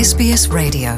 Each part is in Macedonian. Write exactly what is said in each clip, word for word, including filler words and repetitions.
Ес Би Ес Radio.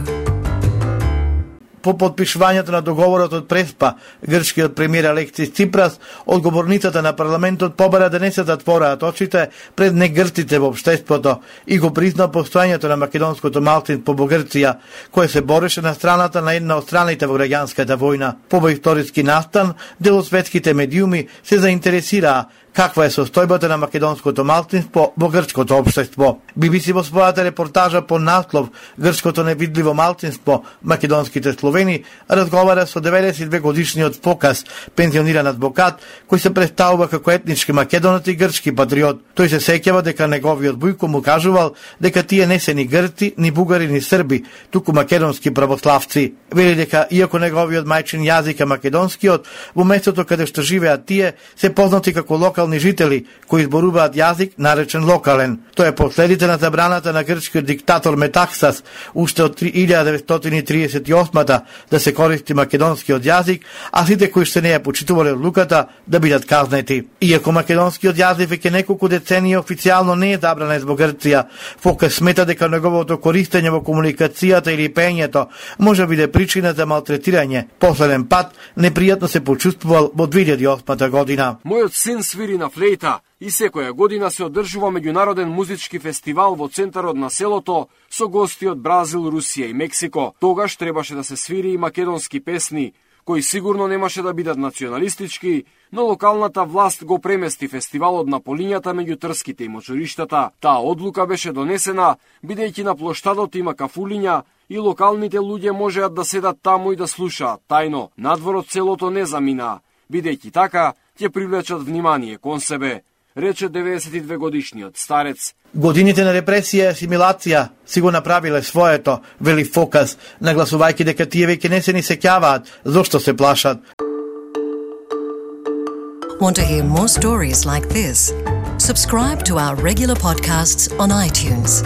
По подпишувањето на договорот од Преспа, грчкиот премиер Алексис Ципрас, одговорницата на парламентот побара да не се затвораат очите пред негрците во општеството и го призна постојањето на македонското малцинство во Грција, кое се бореше на страната на една од страните во граѓанската војна. По историски настан, делосветските медиуми се заинтересираа каква е состојбата на македонското малцинство во грчкото општество. Би Би Си во својата репортажа по наслов "Грчкото невидливо малцинство, македонските словени" разговара со деветдесет и две годишниот Фокас, пензиониран адвокат, кој се представува како етнички македонец и грчки патриот. Тој се сеќава дека неговиот бујко му кажувал дека тие не се ни грци, ни бугари, ни срби, туку македонски православци. Вели дека иако неговиот мајчин јазик е македонскиот, во местото каде што живеат тие се познати како локални жители кои изборуваат јазик наречен локален. Тоа е последица на забраната на грчкиот диктатор Метаксас уште од илјада деветстотини и триесет и осма да се користи македонскиот јазик, а сите кои се не ја почитувале одлуката да бидат казнети. Иако македонскиот јазик веќе неколку децении официјално не е забранет во Грција, Фокас смета дека неговото користење во комуникацијата или пењето може да биде причина за малтретирање. Последен пат непријатно се почувствувал во две илјади и осма година. Мојот син свири на флейта и секоја година се одржува меѓународен музички фестивал во центарот на селото со гости од Бразил, Русија и Мексико. Тогаш требаше да се свири и македонски песни, кои сигурно немаше да бидат националистички, но локалната власт го премести фестивалот на полињата меѓу трските и мочуриштата. Таа одлука беше донесена, бидејќи на плоштадот има кафулиња и локалните луѓе можеат да седат таму и да слушаат тајно. Надвор од селото не замина, бидејќи така ќе привлечат внимание кон себе, рече деветдесет и две годишниот старец. Годините на репресија и асимилација си го направиле своето, вели Фокас, нагласувајќи дека тие веќе не се ни сеќаваат зошто се плашат. Want to hear more stories like this? Subscribe to our regular podcasts on iTunes.